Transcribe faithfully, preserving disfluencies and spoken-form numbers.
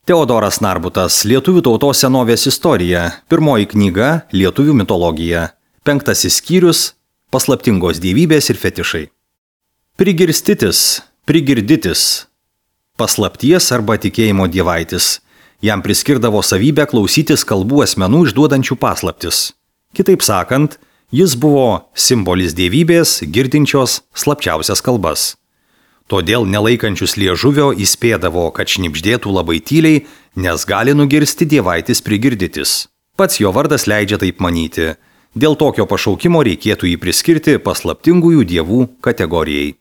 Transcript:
Teodoras Narbutas, Lietuvių tautos senovės istorija, pirmoji knyga Lietuvių mitologija, penktasis skyrius – paslaptingos dievybės ir fetišai. Prigirstitis, prigirditis, paslapties arba tikėjimo dievaitis. Jam priskirdavo savybę klausytis kalbų asmenų išduodančių paslaptis. Kitaip sakant, jis buvo simbolis dievybės, girdinčios slapčiausias kalbas. Todėl nelaikančius liežuvio įspėdavo, kad šnibždėtų labai tyliai, nes gali nugirsti dievaitis prigirditis. Pats jo vardas leidžia taip manyti. Dėl tokio pašaukimo reikėtų jį priskirti paslaptingųjų dievų kategorijai.